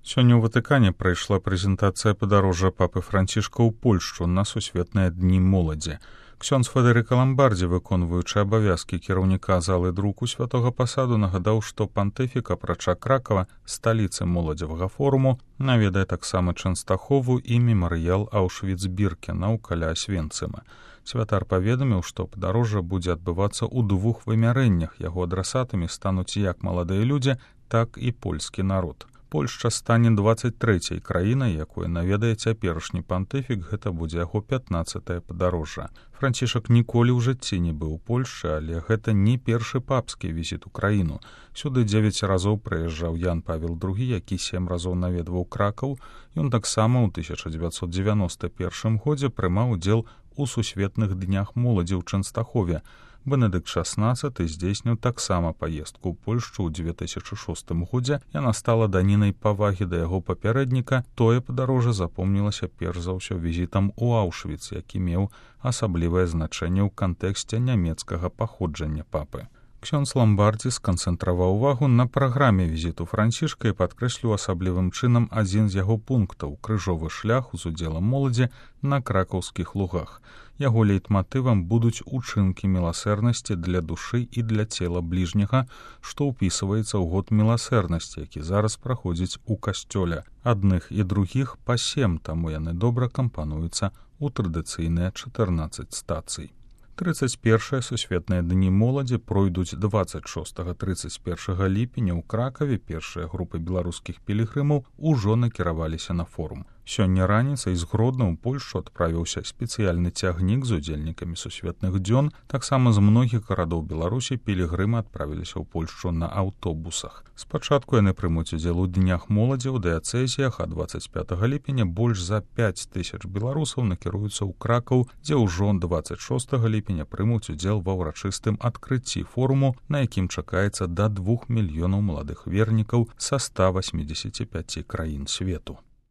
Сёння ў Ватыкане прайшла прэзентацыя падарожжа папы Францішка ў Польшчу на сусветныя дні моладзі. Ксёндз Федэрыка Ламбардзі, выконваючы абавязкі кіраўніка залы друку святога пасаду, нагадаў, што пантыфік, апрача Кракава, сталіцы моладзевага форуму, наведае таксама Чэнстахову і мемарыял Аўшвіц-Біркенаў каля Асвенцыма. Святар паведаміў, што падарожжа будзе адбывацца ў двух вымярэннях. Яго адрасатамі стануць як маладыя людзі, так і польскі народ. Польшча стане 23-й краінай, якую наведае цяперашні пантыфік, гэта будзе яго 15-е падарожжа. Францішак ніколі ў жыцці не быў у Польшчы, але гэта не першы папскі візіт у краіну. Сюды 9 разоў прыязджаў Ян Павел II, які 7 разоў наведваў Кракаў. Ён таксама ў 1991 годзе прымаў удзел у сусветных днях моладзі ў Чэнстахове. Бенедыкт XVI здзейсніў таксама паездку ў Польшчу ў 2006 годзе. Яна стала данінай павагі да яго папярэдніка. Тое падарожжа запомнілася перш за ўсё візітам у Аўшвіц, які меў асаблівае значэнне ў кантэксце нямецкага паходжання папы. Ксёндз Ламбардзі сканцэнтраваў увагу на праграме візіту Францішка і падкрэсліў асаблівым чынам адзін з яго пунктаў — крыжовы шлях з удзелам моладзі на кракаўскіх лугах. Яго лейтматывам будуць учынкі міласэрнасці для душы і для цела бліжняга, што ўпісваецца ў год міласэрнасці, які зараз праходзіць у касцёле. Адных і другіх па 7, таму яны добра кампануюцца ў традыцыйныя 14 стацый. 31-е сусветныя дні моладзі пройдуць 26-31 ліпеня ў Кракаве. Першыя групы беларускіх пілігрымаў ужо накіраваліся на форум. Сёння раніцай з Гродна ў Польшчу адправіўся спецыяльны цягнік з удзельнікамі сусветных дзён. Таксама з многіх гарадоў Беларусі пілігрымы адправіліся ў Польшчу на аўтобусах. Спачатку яны прымуць удзел у днях моладзі ў дыяцэзіях, а 25 ліпеня больш за 5000 беларусаў накіруюцца ў Кракаў, дзе ўжо 26 ліпеня прымуць удзел ва ўрачыстым адкрыцці форуму, на якім чакаецца да 2 мільёнаў маладых вернікаў са 185 краін свету.